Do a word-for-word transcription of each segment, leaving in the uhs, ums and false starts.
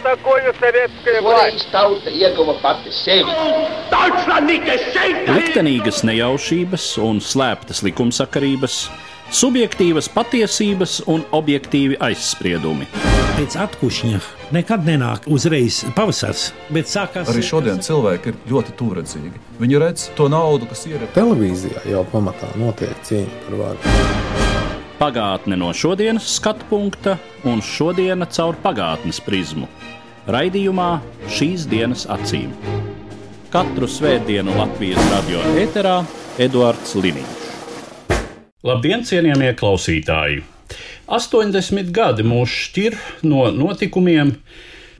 такое советское власть. Liktenīgas nejaušības un slēptas likumsakarības, subjektīvas patiesības un objektīvi aizspriedumi. Pēc atkušņa nekad nenāk uzreiz pavasars, bet sākās... Arī šodien cilvēki ir ļoti tūredzīgi. Viņi redz to naudu, kas ir... Televīzijā jau pamatā notiek cīņa par varu. Pagātne no šodienas skatu punkta un šodiena caur pagātnes prizmu. Raidījumā Šīs dienas acīm. Katru svētdienu Latvijas radio ēterā Eduards Liniņš. Labdien, cienījamie klausītāji! astoņdesmit gadi mūs šķir no notikumiem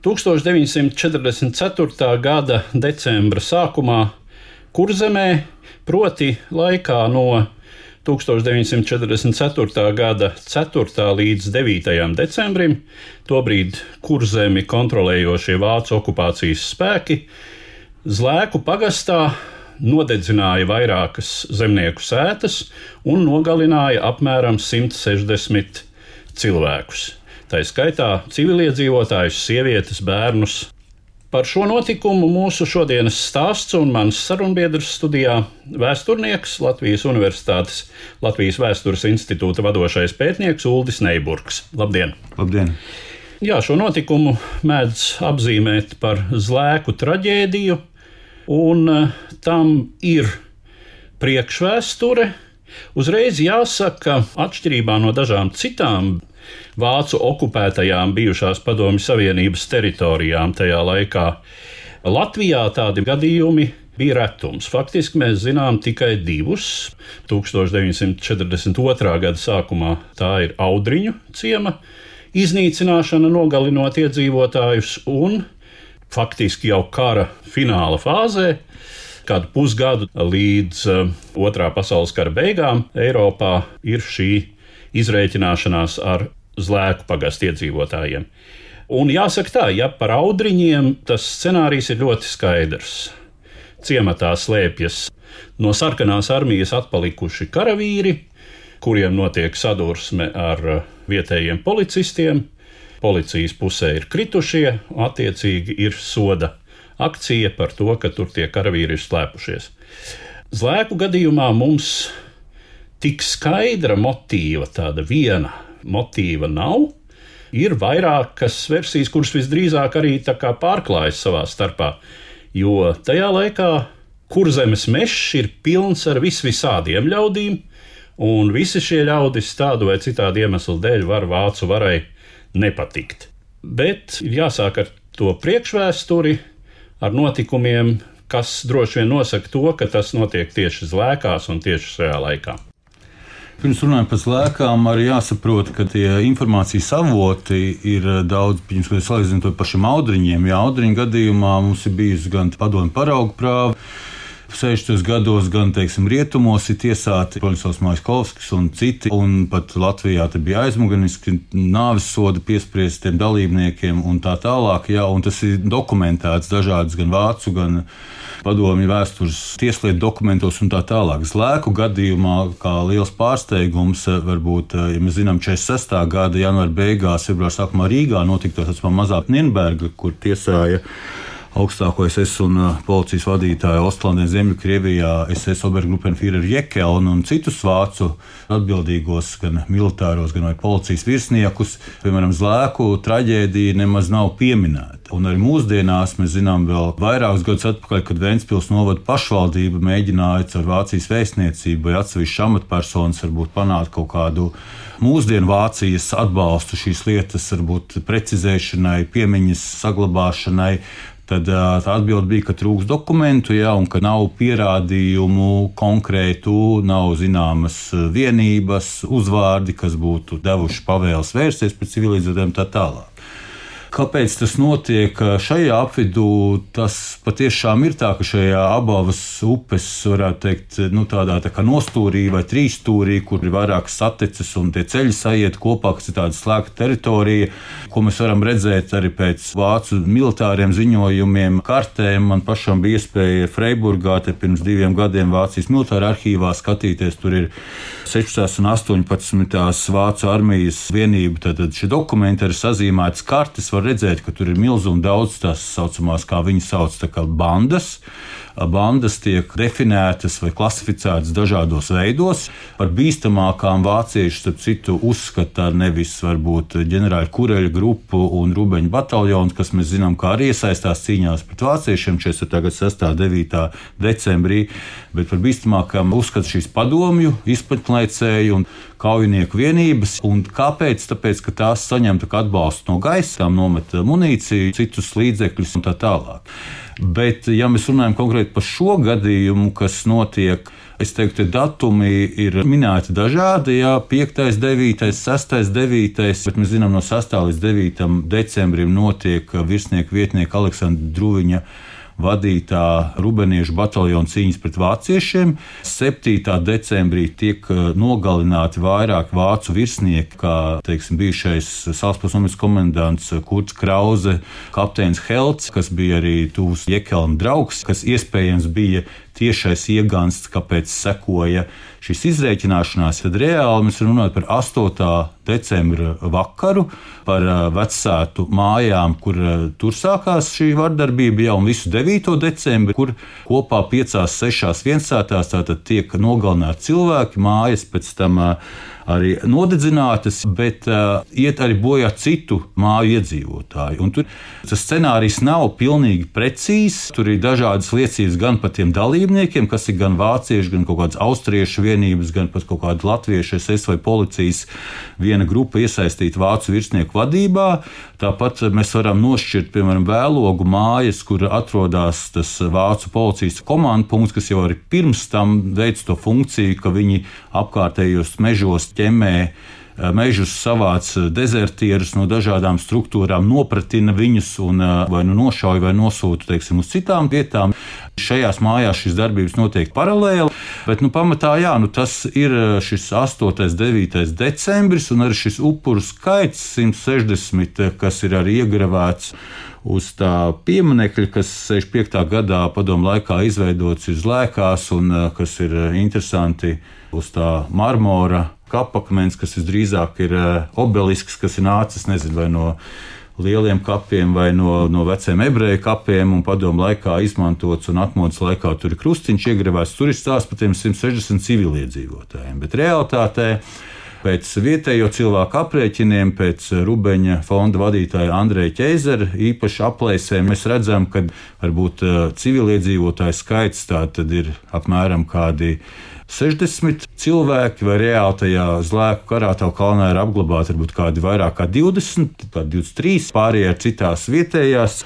tūkstoš deviņsimt četrdesmit ceturtā gada decembra sākumā Kurzemē, proti laikā no tūkstoš deviņsimt četrdesmit ceturtā gada ceturtā līdz devītajam decembrim, tobrīd Kurzemi kontrolējošie vācu okupācijas spēki, Zlēku pagastā nodedzināja vairākas zemnieku sētas un nogalināja apmēram simt sešdesmit cilvēkus. Tā skaitā civiliedzīvotājus, sievietes, bērnus. Par šo notikumu mūsu šodienas stāsts un mans sarunbiedrs studijā vēsturnieks, Latvijas Universitātes Latvijas Vēstures institūta vadošais pētnieks Uldis Neiburgs. Labdien! Labdien! Jā, šo notikumu mēdz apzīmēt par Zlēku traģēdiju, un tam ir priekšvēsture. Uzreiz jāsaka, atšķirībā no dažām citām vācu okupētajām bijušās Padomju Savienības teritorijām tajā laikā, Latvijā tādi gadījumi bija retums. Faktiski mēs zinām tikai divus. tūkstoš deviņsimt četrdesmit otrā gada sākumā tā ir Audriņu ciema iznīcināšana, nogalinot iedzīvotājus, un faktiski jau kara fināla fāzē, kādu pusgadu līdz uh, otrā pasaules kara beigām, Eiropā ir šī izrēķināšanās ar Zlēku pagastu iedzīvotājiem. Un jāsaka tā, ja par Audriņiem tas scenārijs ir ļoti skaidrs. Ciematā slēpjas no sarkanās armijas atpalikuši karavīri, kuriem notiek sadursme ar vietējiem policistiem. Policijas pusē ir kritušie, attiecīgi ir soda akcija par to, ka tur tie karavīri ir slēpušies. Zlēku gadījumā mums tik skaidra motīva, tāda viena motīva nav. Ir vairākas versijas, kuras visdrīzāk arī tā kā pārklājas savā starpā, jo tajā laikā Kurzemes mežs ir pilns ar visvisādiem ļaudīm, un visi šie ļaudis tādu vai citādu iemeslu dēļ var vācu varai nepatikt. Bet ir jāsāk ar to priekšvēsturi, ar notikumiem, kas droši vien nosaka to, ka tas notiek tieši Zlēkās un tieši šajā laikā. Pirms runājot par Zlēkām, arī jāsaprot, ka tie informācijas avoti ir daudz, pirms, kad salīdzinām to pašiem Audriņiem. Jā, Audriņu gadījumā mums ir bijusi gan padomju paraugu prāva, sešdesmitos gados gan, teiksim, rietumos ir tiesāti Broņislavs Maiskovskis un citi, un pat Latvijā te bija aizmuguriski nāves soda piespriestiem dalībniekiem un tā tālāk, jā, un tas ir dokumentēts dažādas gan vācu, gan padomju vēstures tieslietu dokumentos un tā tālāk. Zlēku gadījumā, kā liels pārsteigums, varbūt, ja mēs zinām, četrdesmit sestā gada janvāra beigās, februāra sākumā Rīgā notika tas mazā Nienberga, kur tiesāja augstāko es es un policijas vadītāju Ostlandē Ziemeļkrievijā es es Obergruppenführer Jekelnu un citus vācu atbildīgos, gan militāros, gan vai policijas virsniekus. Piemēram, Zlēku traģēdija nemaz nav pieminēta. Un arī mūsdienās mēs zinām vēl vairākus gadus atpakaļ, kad Ventspils novada pašvaldība mēģināja ar Vācijas vēstniecību vai atsevišķu amatpersonas varbūt panākt kaut kādu mūsdienu Vācijas atbalstu šīs lietas, varbūt precizēšanai, piemiņas saglabāšanai. Tad tā atbilde bija, ka trūks dokumentu, jā, un ka nav pierādījumu konkrētu, nav zināmas vienības, uzvārdi, kas būtu devuši pavēles vērsties pret civilizētājiem tā tālāk. Kāpēc tas notiek šajā apvidū? Tas patiešām ir tā, ka šajā abas upes, varētu teikt, nu, tādā tā kā nostūrī vai trīsstūrī, kur ir vairākas sateces un tie ceļi sajiet kopā, kas ir tāda slēgta teritorija, ko mēs varam redzēt arī pēc vācu militāriem ziņojumiem, kartēm. Man pašam bija iespēja Freiburgā te pirms diviem gadiem Vācijas militāra arhīvā skatīties. Tur ir sešpadsmitās un astoņpadsmitās vācu armijas vienību, tad šie dokumenti ir sazīmētas kartes, var var redzēt, ka tur ir milzīgi daudz tās saucamās, kā viņi sauc, tā kā bandas. Bandas tiek definētas vai klasificētas dažādos veidos. Par bīstamākām vācieši, starp citu, uzskata nevis varbūt ģenerāļa Kureļa grupu un Rubeņa bataljonu, kas mēs zinām, kā arī iesaistās cīņās pret vāciešiem četrdesmitā gada sestā un devītā decembrī, bet par bīstamākām uzskata šīs padomju, izpatlaicēju un kaujinieku vienības. Un kāpēc? Tāpēc, ka tās saņem atbalstu no gaisa, tām nomet munīciju, citus līdzekļus un tā tālāk. Bet, ja mēs runājam konkrēti par šo gadījumu, kas notiek, es teiktu, datumi ir minēti dažādi, jā, piektais, devītais, sestais, devītais, bet mēs zinām, no sestā līdz devītam decembrim notiek virsnieka vietnieka Aleksandra Druviņa vadītā rubeniešu bataljona cīņas pret vāciešiem. septītā decembrī tiek nogalināti vairāk vācu virsnieki, kā teiksim, bijušais Salaspils nometnes komendants Kurts Krause, kapteinis Helts, kas bija arī tuvs Jekelna draugs, kas iespējams bija tiešais iegansts, kāpēc sekoja šīs izrēķināšanās. Tad reāli mēs runājam par astotā decembra vakaru, par vecātu mājām, kur tur sākās šī vardarbība jau un visu devīto decembri, kur kopā piecās, sešās viensātās tātad tiek nogalināti cilvēki, mājas pēc tam arī nodedzinātas, bet uh, iet arī bojā citu māju iedzīvotāju. Un tur tas scenārijs nav pilnīgi precīzs. Tur ir dažādas liecības gan par tiem dalībniekiem, kas ir gan vācieši, gan kaut kādas austriešu vienības, gan pat kaut kāda latviešu es es vai policijas viena grupa iesaistīta vācu virsnieku vadībā. Tāpat mēs varam nošķirt, piemēram, Vēlogu mājas, kur atrodas tas vācu policijas komandu punkts, kas jau arī pirms tam veic to funkciju, ka viņi apkārtējos mežos ķemē mežus, savāc dezertierus no dažādām struktūrām, nopratina viņus un vai nu nošauj vai nosūta, teiksim, uz citām vietām. Šajās mājās šīs darbības notiek paralēli, bet nu, pamatā jā, nu, tas ir šis astotais un devītais decembris un arī šis upuru skaits simt sešdesmit, kas ir arī iegravēts uz tā pieminekļa, kas sešdesmit piektā gadā padomu laikā izveidots uz Lēkās un kas ir interesanti uz tā marmora kapakmens, kas visdrīzāk ir obelisks, kas ir nācis, nezinu, vai no lieliem kapiem vai no, no veciem ebreju kapiem un padomu laikā izmantots un atmodas laikā tur ir krustiņš iegravēts. Tur ir stāsts par tiem simt sešdesmit civiliedzīvotājiem, bet realitātē pēc vietējo cilvēku aprēķiniem, pēc Rubeņa fonda vadītāja Andreja Ķeizera īpaši aplēsēm, mēs redzam, ka varbūt civiliedzīvotāju skaits tā tad ir apmēram kādi sešdesmit cilvēki, vai reāli tajā Zlēku Karātavu kalnā ir apglabāti varbūt kādi vairāk kā divdesmit, kā divdesmit trīs, pārējie ir citās vietējās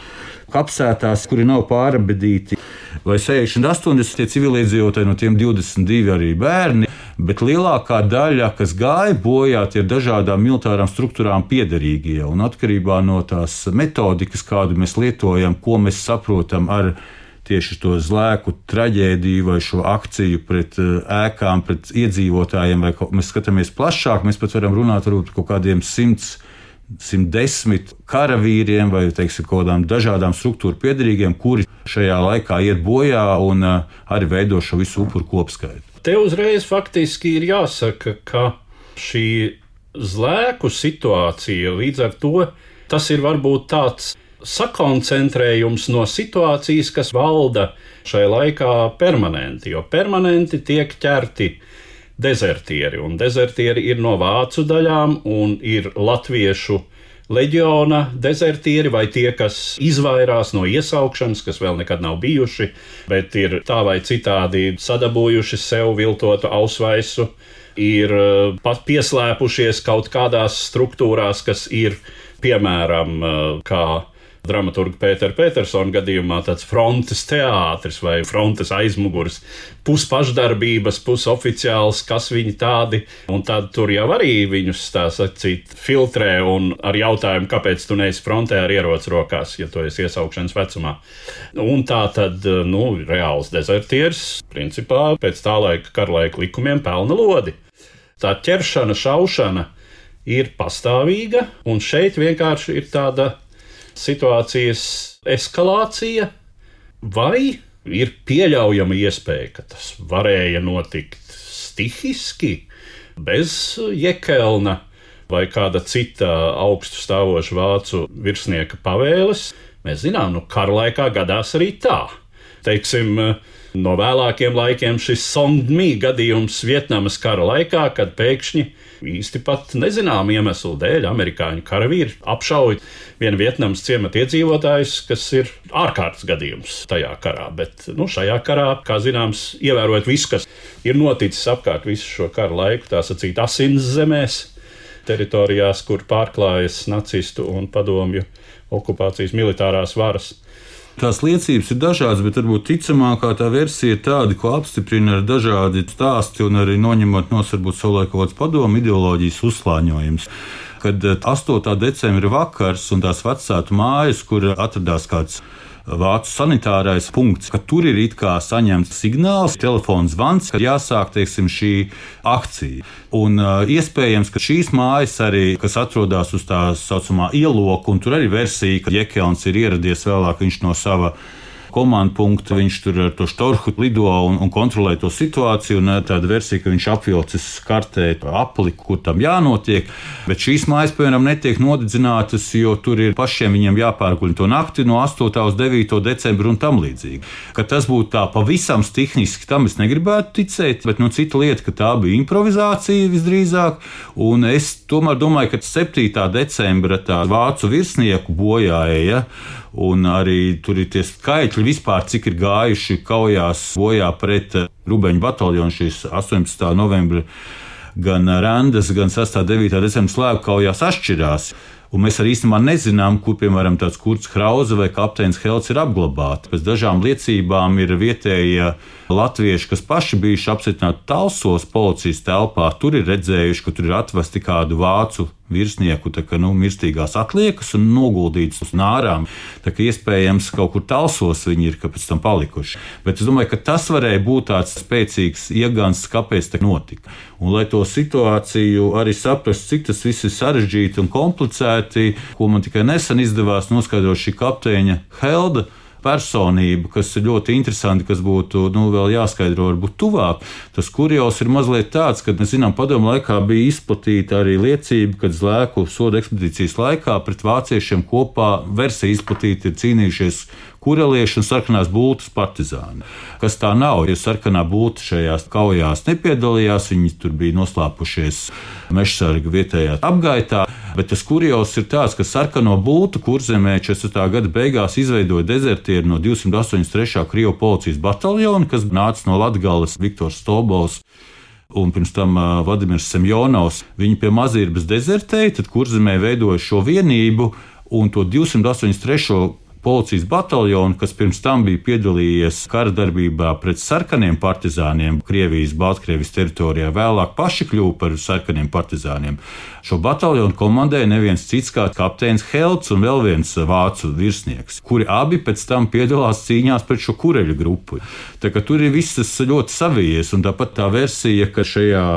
kapsētās, kuri nav pārabedīti, vai sešdesmit, astoņdesmit tie civiliedzīvotāji, no tiem divdesmit divi arī bērni, bet lielākā daļa, kas gāja bojā, tie ir dažādām militārām struktūrām piederīgie, un atkarībā no tās metodikas, kādu mēs lietojam, ko mēs saprotam ar tieši to Zlēku traģēdiju vai šo akciju pret ēkām, pret iedzīvotājiem, vai mēs skatāmies plašāk, mēs pat varam runāt varbūt par kaut kādiem simts, simt desmit karavīriem vai, teiksim, kaut kādām dažādām struktūru piederīgiem, kuri šajā laikā iet bojā un arī veido šo visu upuru kopskaitu. Te uzreiz faktiski ir jāsaka, ka šī Zlēku situācija līdz ar to, tas ir varbūt tāds sakoncentrējums no situācijas, kas valda šai laikā permanenti, jo permanenti tiek ķerti dezertieri, un dezertieri ir no vācu daļām un ir latviešu leģiona dezertieri vai tie, kas izvairās no iesaukšanas, kas vēl nekad nav bijuši, bet ir tā vai citādi sadabūjuši sev viltotu ausvaisu, ir pat pieslēpušies kaut kādās struktūrās, kas ir, piemēram, kā dramaturga Pētera Petersona gadījumā tāds frontes teātris vai frontes aizmugurs, puspašdarbības, pusoficiāls, kas viņi tādi, un tad tur jau arī viņus, tā sacīt, filtrē un ar jautājumu, kāpēc tu neesi frontē ar ieroci rokās, ja tu esi iesaukšanas vecumā. Un tā tad, nu, reāls dezertieris, principā, pēc tā laika karlaika likumiem pelna lodi. Tā ķeršana, šaušana ir pastāvīga, un šeit vienkārši ir tāda situācijas eskalācija, vai ir pieļaujama iespēja, ka tas varēja notikt stihiski, bez Jekelna vai kāda cita augstu stāvoša vācu virsnieka pavēles. Mēs zinām, nu kara laikā gadās arī tā. Teiksim, no vēlākiem laikiem šis Song Mi gadījums Vietnamas kara laikā, kad pēkšņi īsti pat nezinām iemeslu dēļ amerikāņu karavīri apšauja vienu Vietnamas ciemata iedzīvotājus, kas ir ārkārtas gadījums tajā karā. Bet nu, šajā karā, kā zināms, ievērojot visu, kas ir noticis apkārt visu šo kara laiku, tā sacīt asins zemēs, teritorijās, kur pārklājas nacistu un padomju okupācijas militārās varas. Tās liecības ir dažādas, bet varbūt ticamākā tā versija ir tāda, ko apstiprina ar dažādi stāsti un arī noņemot no varbūt savulaik kaut kāds padomu ideoloģijas uzslāņojums. Kad astotā decembra vakars un tās vecātu mājas, kur atradās kāds vācu sanitārais punkts, ka tur ir it kā saņemts signāls, telefons zvans, ka jāsāk, teiksim, šī akcija. Un uh, iespējams, ka šīs mājas arī, kas atrodas uz tā saucamā ieloka, un tur arī versija, ka Jekelns ir ieradies vēlāk, viņš no sava komandu punktu, viņš tur ar to štorhu lido un, un kontrolē to situāciju, un tāda versija, ka viņš apvilcis kartē apliku, kur tam jānotiek, bet šīs mājas, piemēram, netiek nodedzinātas, jo tur ir pašiem viņiem jāpārguļ to nakti no astotā uz devīto decembru un tam līdzīgi. Ka tas būtu tā pavisam tehniski, tam es negribētu ticēt, bet nu cita lieta, ka tā bija improvizācija visdrīzāk, un es tomēr domāju, ka septītā decembra tā vācu virsnieku bojāja, un arī tur ir tie skaitļi vispār, cik ir gājuši kaujās bojā pret Rubeņu bataljonu šīs astoņpadsmitā novembra gan Randas, gan sestā un devītā decembra slēgu kaujās atšķirās. Un mēs arī īstenībā nezinām, kur, piemēram, tāds Kurts Krause vai kapteinis Helts ir apglabāti. Pēc dažām liecībām ir vietējie latvieši, kas paši bijuši apcietināti Talsos policijas telpā, tur ir redzējuši, ka tur ir atvesti kādu vācu virsnieku, tā kā, nu, mirstīgās atliekas un noguldītas uz nārām. Tā kā iespējams kaut kur Talsos viņi ir, ka pēc tam palikuši. Bet es domāju, ka tas varēja būt tāds spēcīgs iegansts, kāpēc tā notika. Un lai to situāciju arī saprast, cik tas viss ir sarežģīti un komplicēti, ko man tikai nesen izdevās noskaidrot šī kapteiņa Helda personība, kas ir ļoti interesanti, kas būtu nu, vēl jāskaidro varbūt tuvāk. Tas kurjos ir mazliet tāds, ka mēs zinām, padomu laikā bija izplatīta arī liecība, kad Zlēku soda ekspedīcijas laikā pret vāciešiem kopā versija izplatīta ir cīnījušies kurelieši un sarkanās bultas partizāni. Kas tā nav, jo sarkanā bulta šajās kaujās nepiedalījās, viņi tur bija noslēpušies mežsarga vietējā apgaitā, bet tas kurjos ir tāds, ka sarkano bultu Kurzemē četrdesmitā gada beigās izveidoja dezertieri no divsimt astoņdesmit trešā Krievu policijas bataljona, kas nāca no Latgales, Viktors Stolbovs un pirms tam uh, Vladimirs Semjonovs. Viņi pie Mazirbas dezertēja, tad Kurzemē veidoja šo vienību un to divsimt astoņdesmit trešo policijas bataljonu, kas pirms tam bija piedalījies kara darbībā pret sarkaniem partizāniem Krievijas, Baltkrievijas teritorijā, vēlāk paši kļuva par sarkaniem partizāniem. Šo bataljonu komandēja neviens cits kā kapteinis Helts un vēl viens vācu virsnieks, kuri abi pēc tam piedalās cīņās pret šo kureļu grupu. Tā kā tur ir viss tas ļoti savijies, un tāpat tā versija, ka šajā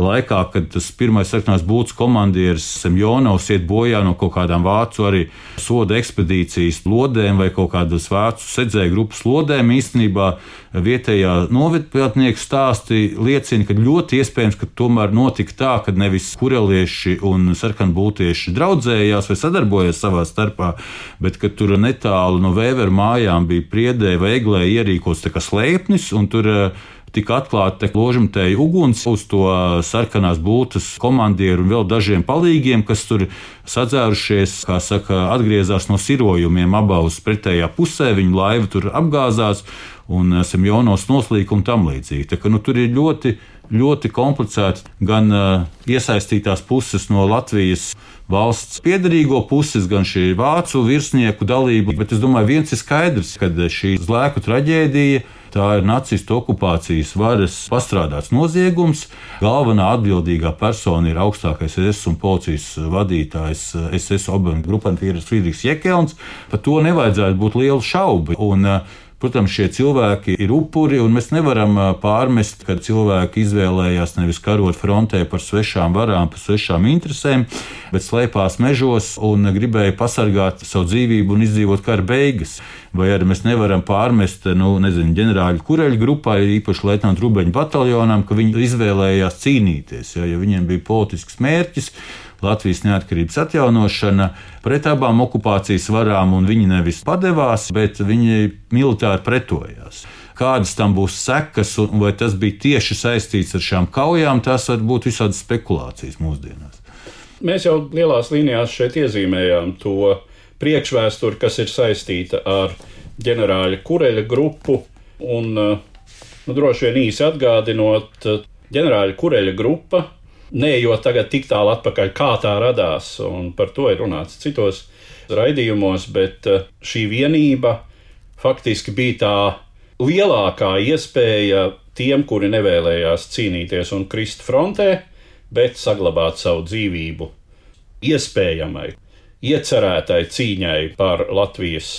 laikā, kad tas pirmais sarkanās bultas komandieris Semjonovs iet bojā no kaut kādām vācu arī soda ekspedīcijas lodēm vai kaut kādas vācu sedzēju grupas lodēm, īstenībā vietējā novedpētnieku stāsti liecina, ka ļoti iespējams, ka tomēr notika tā, ka nevis kurelieši un sarkanbultieši draudzējās vai sadarbojās savā starpā, bet ka tur netālu no Vēveru mājām bija Priedē vai Eglē ierīkots tā kā slēpnis, un tur tika atklāta ložamtēja uguns uz to sarkanās bultas komandieru un vēl dažiem palīgiem, kas tur sadzērušies, kā saka, atgriezās no sirojumiem abās pretējā pusē, viņu laiva tur apgāzās un Semjonovs noslīka un tam līdzīgi. Tā ka nu, tur ir ļoti, ļoti komplicēti gan uh, iesaistītās puses no Latvijas valsts piederīgo puses, gan šī vācu virsnieku dalība, bet es domāju, viens ir skaidrs, kad šī Zlēku traģēdija, tā ir nacistu okupācijas varas pastrādāts noziegums. Galvenā atbildīgā persona ir augstākais es es un policijas vadītājs es es Obergruppenführeris Friedrichs Jekelns. Par to nevajadzētu būt lielu šaubu. Un, protams, šie cilvēki ir upuri, un mēs nevaram pārmest, ka cilvēki izvēlējās nevis karot frontē par svešām varām, par svešām interesēm, bet slēpās mežos un gribēja pasargāt savu dzīvību un izdzīvot kara beigas. Vai arī mēs nevaram pārmest, nu, nezinu, ģenerāļu kureļu grupai, īpaši leitnantu Rubeņu bataljonam, ka viņi izvēlējās cīnīties, ja, ja viņiem bija politisks mērķis. Latvijas neatkarības atjaunošana pret abām okupācijas varām, un viņi nevis padevās, bet viņi militāri pretojās. Kādas tam būs sekas, un vai tas bija tieši saistīts ar šām kaujām, tas var būt visādas spekulācijas mūsdienās. Mēs jau lielās līnijās šeit iezīmējām to priekšvēsturi, kas ir saistīta ar ģenerāļa Kureļa grupu, un nu, droši vien īsi atgādinot, ģenerāļa Kureļa grupa, neejot tagad tik tālu atpakaļ, kā tā radās, un par to ir runāts citos raidījumos, bet šī vienība faktiski bija tā lielākā iespēja tiem, kuri nevēlējās cīnīties un krist frontē, bet saglabāt savu dzīvību iespējamai, iecerētai cīņai par Latvijas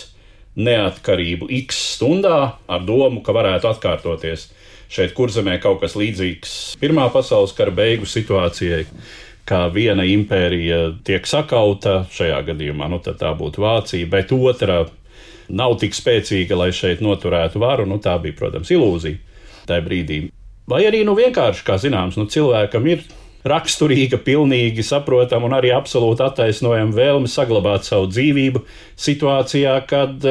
neatkarību X stundā ar domu, ka varētu atkārtoties šeit Kurzemē kaut kas līdzīgs Pirmā pasaules kara beigu situācijai, kā viena impērija tiek sakauta, šajā gadījumā nu, tad tā būtu Vācija, bet otra nav tik spēcīga, lai šeit noturētu varu. Nu, tā bija, protams, ilūzija tajā brīdī. Vai arī nu, vienkārši, kā zināms, nu, cilvēkam ir raksturīga, pilnīgi saprotama un arī absolūti attaisnojama vēlme saglabāt savu dzīvību situācijā, kad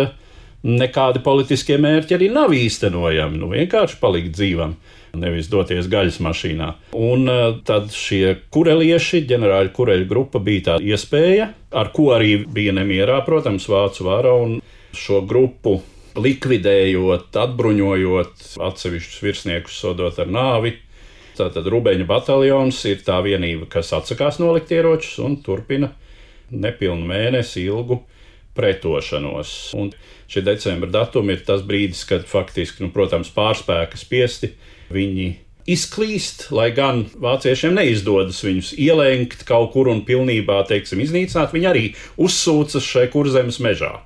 nekādi politiskie mērķi arī nav īstenojami. Nu, vienkārši palikt dzīvam, nevis doties gaļas mašīnā. Un tad šie kurelieši, ģenerāļa Kureļa grupa, bija tā iespēja, ar ko arī bija nemierā, protams, vācu vara, un šo grupu likvidējot, atbruņojot, atsevišķus virsniekus sodot ar nāvi. Tātad Rubeņa bataljons ir tā vienība, kas atsakās nolikt ieročus un turpina nepilnu mēnesi ilgu pretošanos. Un šie decembra datumi ir tas brīdis, kad faktiski, nu, protams, pārspēka spiesti viņi izklīst, lai gan vāciešiem neizdodas viņus ielenkt kaut kur un pilnībā, teiksim, iznīcināt, viņi arī uzsūcas šai Kurzemes mežā.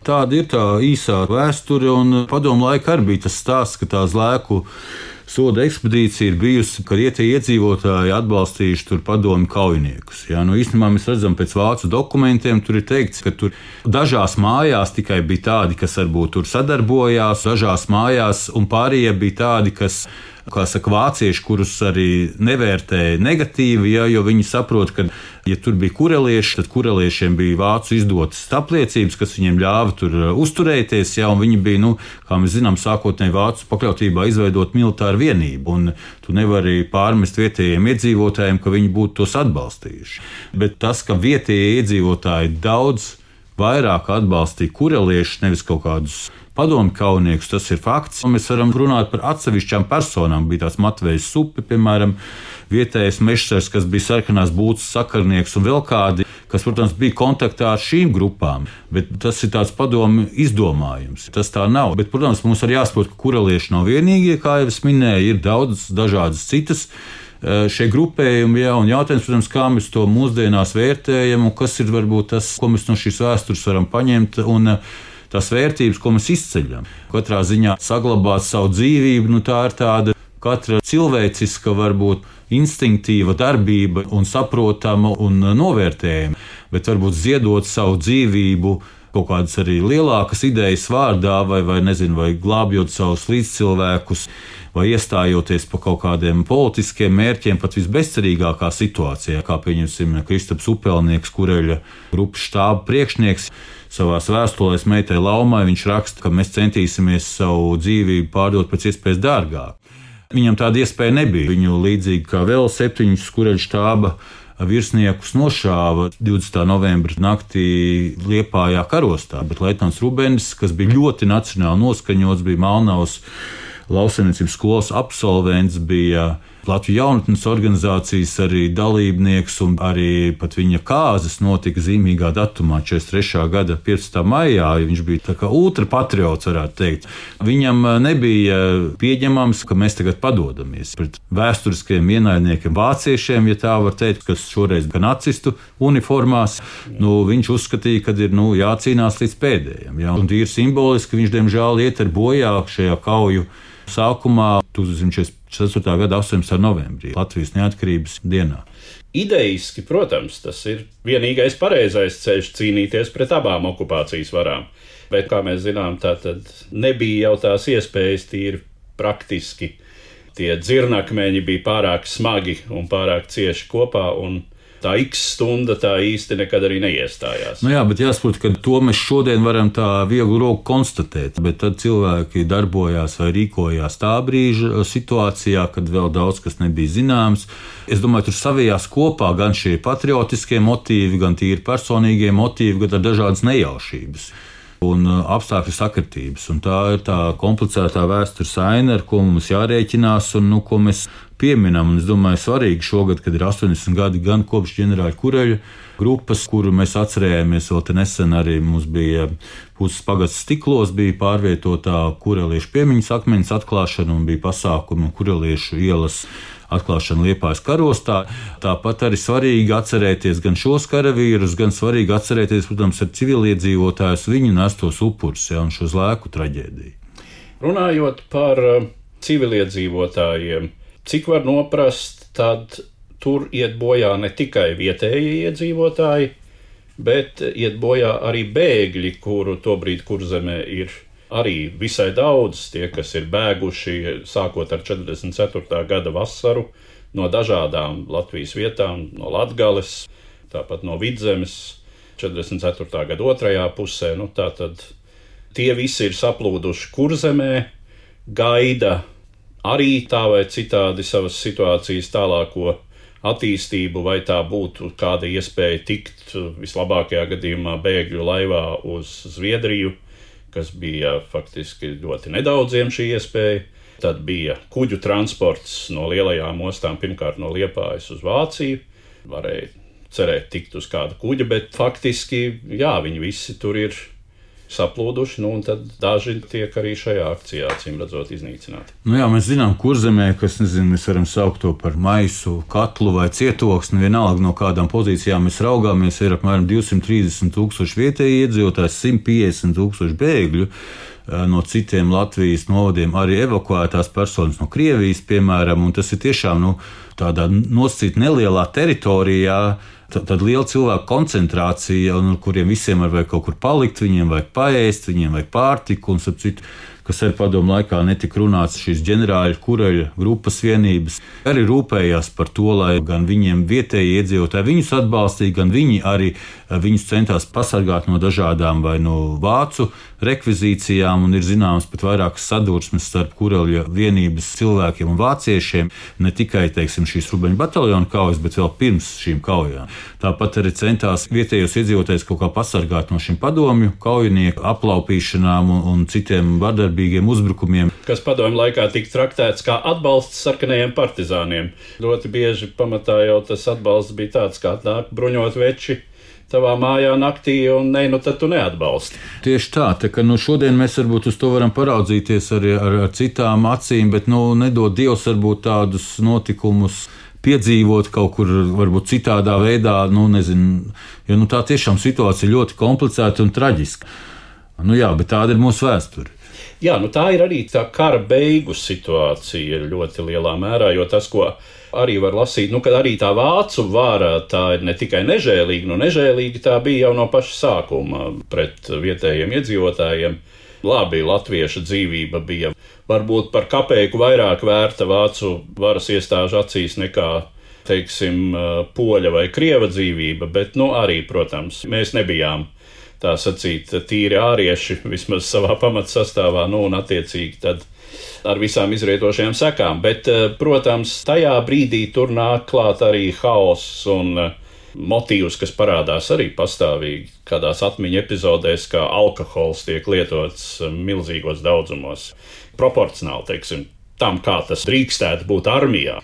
Tāda ir tā īsā vēsture, un padomu laikā arī bija tas stāsts, ka tā Zlēku soda ekspedīcija ir bijusi, ka tie iedzīvotāji atbalstījuši tur padomju kaujiniekus. Jā, nu, īstenībā mēs redzam pēc vācu dokumentiem, tur ir teikts, ka tur dažās mājās tikai bija tādi, kas varbūt tur sadarbojās, dažās mājās, un pārējie bija tādi, kas, kā saka, vācieši, kurus arī nevērtēja negatīvi, jā, jo viņi saprot, ka, ja tur bija kurelieši, tad kureliešiem bija vācu izdotas apliecības, kas viņiem ļāva tur uzturēties, jā, un viņi bija, nu, kā mēs zinām, sākotnēji vācu pakļautībā izveidot militāru vienību, un tu nevari pārmest vietējiem iedzīvotājiem, ka viņi būtu tos atbalstījuši. Bet tas, ka vietējie iedzīvotāji daudz vairāk atbalstīja kureliešus, nevis kaut kādus padomju kaujiniekus, tas ir fakts. Un mēs varam runāt par atsevišķām personām. Bija tās Matvejs Supi, piemēram, vietējais mežsars, kas bija sarkanās būtas sakarnieks, un vēl kādi, kas, protams, bija kontaktā ar šīm grupām. Bet tas ir tāds padomju izdomājums. Tas tā nav. Bet, protams, mums arī jāsaprot, ka kurelieši nav vienīgie, kā jau es minēju, ir daudz dažādas citas šie grupējumi, jā, un jautājums, protams, kā mēs to mūsdienās vērtējam, un kas ir varbūt tas, ko mēs no šīs vēstures varam paņemt, un tās vērtības, ko mēs izceļam. Katrā ziņā saglabāt savu dzīvību, nu tā ir tāda katra cilvēciska, varbūt instinktīva darbība un saprotama un novērtējama, bet varbūt ziedot savu dzīvību kaut kādas arī lielākas idejas vārdā, vai, vai nezinu, vai glābjot savus līdzcilvēkus, vai iestājoties par kaut kādiem politiskiem mērķiem, pat visbezcerīgākā situācijā, kā pieņemsim Kristaps Upelnieks, Kureļa grupas štāba priekšnieks. Savās vēstulēs meitai Laumai viņš raksta, ka mēs centīsimies savu dzīvību pārdot pēc iespējas dārgāk. Viņam tāda iespēja nebija. Viņu līdzīgi kā vēl septiņus Kureļa štāba virsniekus nošāva divdesmitā novembra naktī Liepājā karostā, bet leitnants Rubenis, kas bija ļoti nacionāli noskaņots, bija Malnavas lauksaimniecības skolas absolvents, bija Latvijas jaunatnes organizācijas arī dalībnieks, un arī pat viņa kāzas notika zīmīgā datumā, četrdesmit trešā gada piecpadsmitā maijā. Viņš bija tā kā ultrapatriots, varētu teikt. Viņam nebija pieņemams, ka mēs tagad padodamies pret vēsturiskiem ienaidniekiem, vāciešiem, ja tā var teikt, kas šoreiz gan nacistu uniformās. Nu, viņš uzskatīja, ka ir nu, jācīnās līdz pēdējiem. Ja? Un tīri simboliski viņš, diemžēl, iet ar bojā šajā kauju sākumā tūkstoš četrdesmit ceturtā gada astoņpadsmitā novembrī, Latvijas neatkarības dienā. Idejiski, protams, tas ir vienīgais pareizais ceļš cīnīties pret abām okupācijas varām. Bet, kā mēs zinām, tā tad nebija jau tās iespējas tīri praktiski. Tie dzirnakmeņi bija pārāk smagi un pārāk cieši kopā, un tā X stunda tā īsti nekad arī neiestājās. Nu jā, bet jāsaprot, ka to mēs šodien varam tā viegli roku konstatēt, bet tad cilvēki darbojās vai rīkojās tā brīža situācijā, kad vēl daudz kas nebija zināms. Es domāju, tur savijās kopā gan šie patriotiskie motīvi, gan tīri personīgie motīvi, gan dažādas nejaušības un apstākļu sakritības. Un tā ir tā komplicētā vēstures aina, ar ko mums jārēķinās un nu, ko mēs pieminam. Un es domāju, svarīgi šogad, kad ir astoņdesmit gadi gan kopš ģenerāļa Kureļa grupas, kuru mēs atcerējāmies vēl te nesen, arī mums bija Puses pagasts Stiklos, bija pārvietotā kureliešu piemiņas akmeņas atklāšana un bija pasākumi kureliešu ielas atklāšana Liepājas karostā. Tāpat arī svarīgi atcerēties gan šos karavīrus, gan svarīgi atcerēties, protams, ar civiliedzīvotājus viņu nestos upurus, ja, un šo zlēku traģēdiju. Runājot par civiliedzīvotājiem, cik var noprast, tad tur iet bojā ne tikai vietējie iedzīvotāji, bet iet bojā arī bēgļi, kuru tobrīd Kurzemē ir arī visai daudz, tie, kas ir bēguši sākot ar četrdesmit ceturtā gada vasaru no dažādām Latvijas vietām, no Latgales, tāpat no Vidzemes, četrdesmit ceturtā gada otrajā pusē. Nu, tātad tie visi ir saplūduši Kurzemē, gaida arī tā vai citādi savas situācijas tālāko attīstību, vai tā būtu kāda iespēja tikt vislabākajā gadījumā bēgļu laivā uz Zviedriju, kas bija faktiski ļoti nedaudziem šī iespēja. Tad bija kuģu transports no lielajām ostām, pirmkārt no Liepājas uz Vāciju. Varēja cerēt tikt uz kādu kuģa, bet faktiski, jā, viņi visi tur ir saplūduši, nu un tad daži tiek arī šajā akcijā, acīm redzot, iznīcināti. Nu jā, mēs zinām, Kurzemē, kas, nezinu, mēs varam saukt to par maisu, katlu vai cietoksni, vienalga no kādām pozīcijām mēs raugāmies, ir apmēram divsimt trīsdesmit tūkstoši vietēji iedzīvotāji, simt piecdesmit tūkstoši bēgļu, no citiem Latvijas novadiem arī evakuētās personas no Krievijas, piemēram, un tas ir tiešām, nu, tādā nosacīt nelielā teritorijā, tad liela cilvēku koncentrācija, un kuriem visiem var vajag kaut kur palikt, viņiem vajag paēst, viņiem vajag pārtiku, un ap citu, kas arī padomu laikā netika runāts, šīs ģenerāļa Kureļa grupas vienības arī rūpējās par to, lai gan viņiem vietēji iedzīvotāji viņus atbalstīja, gan viņi arī viņus centās pasargāt no dažādām vai no vācu rekvizīcijām, un ir zināms pat vairākas sadursmes starp Kureļa vienības cilvēkiem un vāciešiem, ne tikai, teiksim, šīs Rubeņu bataljona kaujas, bet vēl pirms šīm kaujām. Tāpat arī centās vietējos iedzīvotājus kaut kā pasargāt no šiem padomju kaujinieku aplaupīšanām un, un citiem vardarbīgiem uzbrukumiem. Kas padomju laikā tika traktēts kā atbalsts sarkanajiem partizāniem. Ļoti bieži pamatā jau tas atbalsts bija tāds, kā nāk bruņot veči tavā mājā naktī, un ne, nu tad tu neatbalsti. Tieši tā, tā ka nu, šodien mēs varbūt uz to varam paraudzīties arī ar, ar citām acīm, bet nu, nedod Dievs varbūt tādus notikumus piedzīvot kaut kur varbūt citādā veidā, nu nezinu, jo nu, tā tiešām situācija ļoti komplicēta un traģiska. Nu jā, bet tāda ir mūsu vēsture. Jā, nu tā ir arī tā kara beigu situācija ļoti lielā mērā, jo tas, ko arī var lasīt, nu, kad arī tā vācu vara, tā ir ne tikai nežēlīga, nu nežēlīga tā bija jau no paša sākuma pret vietējiem iedzīvotājiem. Labi, latvieša dzīvība bija varbūt par kapeiku vairāk vērta vācu varas iestāžu acīs nekā, teiksim, poļa vai krieva dzīvība, bet, nu, arī, protams, mēs nebijām tā sacīt tīri ārieši, vismaz savā pamatsastāvā, nu, un attiecīgi tad ar visām izrietošajām sekām. Bet, protams, tajā brīdī tur nāk klāt arī haoss un motīvs, kas parādās arī pastāvīgi kādās atmiņu epizodēs, kā alkohols tiek lietots milzīgos daudzumos, proporcionāli, teiksim, tam, kā tas drīkstētu būt armijā.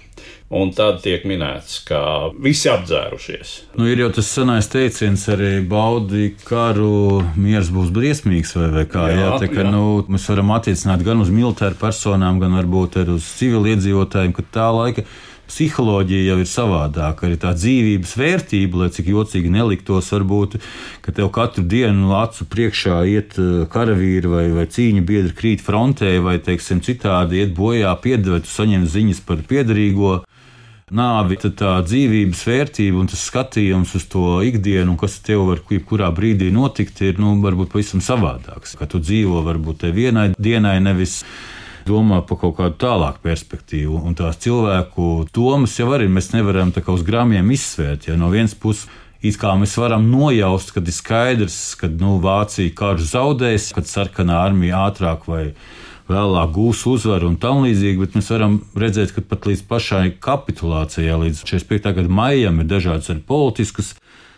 Un tad tiek minēts, ka visi apdzērušies. Nu, ir jau tas senais teiciens arī baudi karu, miers būs briesmīgs vai, vai kā. Jā, jā, tā, ka, jā. Nu, mēs varam attiecināt gan uz militāru personām, gan varbūt arī uz civiliedzīvotājiem, ka tā laika psiholoģija jau ir savādāka. Arī tā dzīvības vērtība, lai cik jocīgi neliktos, varbūt, ka tev katru dienu acu priekšā iet karavīri vai, vai cīņa biedri krīt frontē vai, teiksim, citādi iet bojā, piedevēt, saņem ziņas par piederīgo nāvi, tad tā dzīvības vērtība un tas skatījums uz to ikdienu, kas tev var jebkurā brīdī notikt, ir, nu, varbūt pavisam savādāks. Ka tu dzīvo varbūt te vienai dienai, nevis domā par kaut kādu tālāku perspektīvu. Un tās cilvēku domas jau arī mēs nevaram tā kā uz grāmiem izsvērt. Ja no vienas puses, it kā mēs varam nojaust, kad ir skaidrs, ka nu, Vācija karš zaudēs, kad sarkanā armija ātrāk vai vēlāk gūs uzvaru un tam līdzīgi, bet mēs varam redzēt, ka pat līdz pašai kapitulācijai, līdz četrdesmit piektā gada maijam, ir dažādas arī politiskas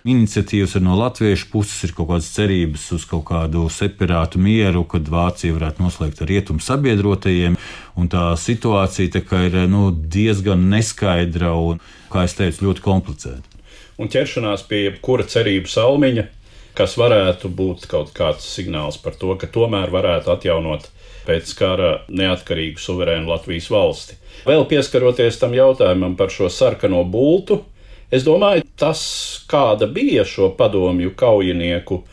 iniciatīvas, no latviešu puses ir kaut kādas cerības uz kaut kādu separātu mieru, kad Vācija varētu noslēgt ar rietumu sabiedrotajiem, un tā situācija tā kā ir nu, diezgan neskaidra un, kā es teicu, ļoti komplicēta. Un ķeršanās pie jebkura cerību salmiņa, kas varētu būt kaut kāds signāls par to, ka tomēr varētu atjaunot pēc kara neatkarīgu suverēnu Latvijas valsti. Vēl pieskaroties tam jautājumam par šo sarkano bultu, es domāju, tas, kāda bija šo padomju kaujinieku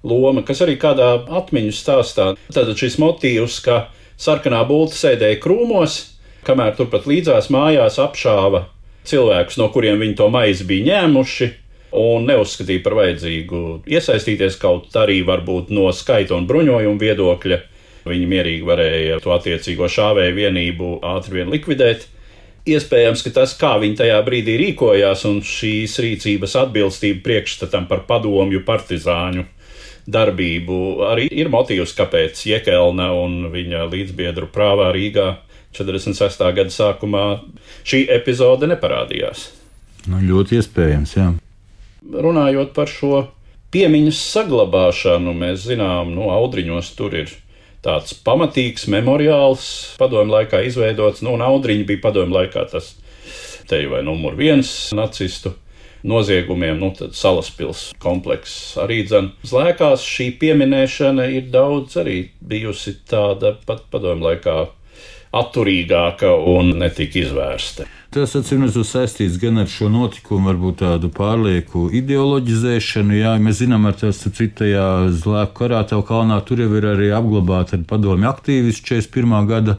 loma, kas arī kādā atmiņu stāstā, tad šis motīvs, ka sarkanā bulta sēdēja krūmos, kamēr turpat līdzās mājās apšāva cilvēkus, no kuriem viņi to maizi bija ņēmuši, un neuzskatīja par vajadzīgu iesaistīties, kaut arī varbūt no skaita un bruņojuma viedokļa. Viņi mierīgi varēja to attiecīgo šāvēju vienību ātri vien likvidēt. Iespējams, ka tas, kā viņi tajā brīdī rīkojās, un šīs rīcības atbilstība priekšstatam par padomju partizāņu darbību, arī ir motīvs, kāpēc Jekelna un viņa līdzbiedru prāvā Rīgā četrdesmit sestā gada sākumā šī epizode neparādījās. Nu, ļoti iespējams, jā. Runājot par šo piemiņas saglabāšanu, mēs zinām, nu, Audriņos tur ir tāds pamatīgs memoriāls padomju laikā izveidots, nu, un Audriņi bija padomju laikā tas te vai numur viens nacistu noziegumiem, nu, tad Salaspils komplekss arī dzen. Zlēkās šī pieminēšana ir daudz arī bijusi tāda pat padomju laikā atturīgāka un netika izvērsta. Tas atcīmredzot saistīts gan ar šo notikumu, varbūt tādu pārlieku ideoloģizēšanu. Jā, mēs zinām, ar tās citajā Zlēku karā tev kalnā tur jau ir arī apglabāti ar padomju aktīvisti četrdesmit pirmā gada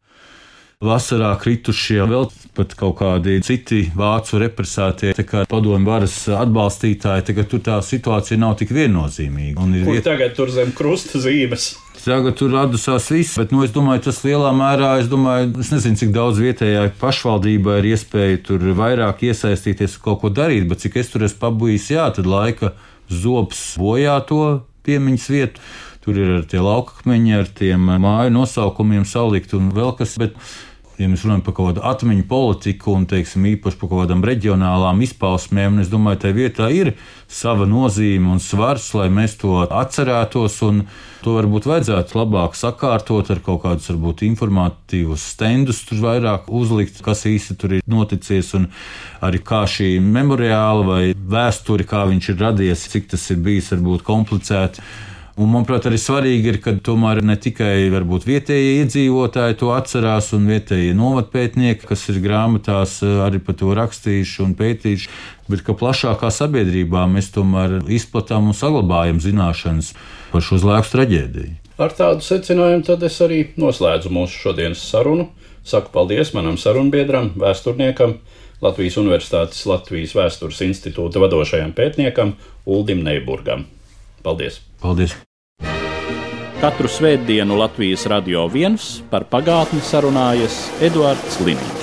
vasarā kritušie, vēl pat kaut kādi citi vācu represētie, tā kā padomju varas atbalstītāji, tagad tur tā situācija nav tik viennozīmīga. Kur viet... tagad tur zem krusta zīmes? Tagad tur radusās viss, bet nu, es domāju, tas lielā mērā, es domāju, es nezinu, cik daudz vietējā pašvaldībā ir iespēja tur vairāk iesaistīties un kaut ko darīt, bet cik es tur esmu pabūjis, jā, tad laika zobs bojā to piemiņas vietu. Tur ir ar tie laukakmeņi, ar tiem māju nosaukumiem salikt un vēl kas, bet ja mēs runājam par kaut kādu atmiņu politiku un, teiksim, īpaši par kaut kādām reģionālām izpausmēm, un es domāju, tai vietā ir sava nozīme un svars, lai mēs to atcerētos, un to varbūt vajadzētu labāk sakārtot ar kaut kādus, varbūt, informatīvus stendus tur vairāk uzlikt, kas īsti tur ir noticies, un arī kā šī memoriāla vai vēsturi, kā viņš ir radies, cik tas ir bijis, varbūt, komplicēti. Un, manuprāt, arī svarīgi ir, ka tomēr ne tikai varbūt vietējie iedzīvotāji to atcerās un vietējie novadpētnieki, kas ir grāmatās arī par to rakstījuši un pētījuši, bet ka plašākā sabiedrībā mēs tomēr izplatām un saglabājam zināšanas par šo Zlēku traģēdiju. Ar tādu secinājumu tad es arī noslēdzu mūsu šodienas sarunu. Saku paldies manam sarunbiedram, vēsturniekam, Latvijas Universitātes Latvijas Vēstures institūta vadošajam pētniekam Uldim Neiburgam. Paldies! Paldies! Katru svētdienu Latvijas Radio viens par pagātni sarunājas Eduards Liniņš.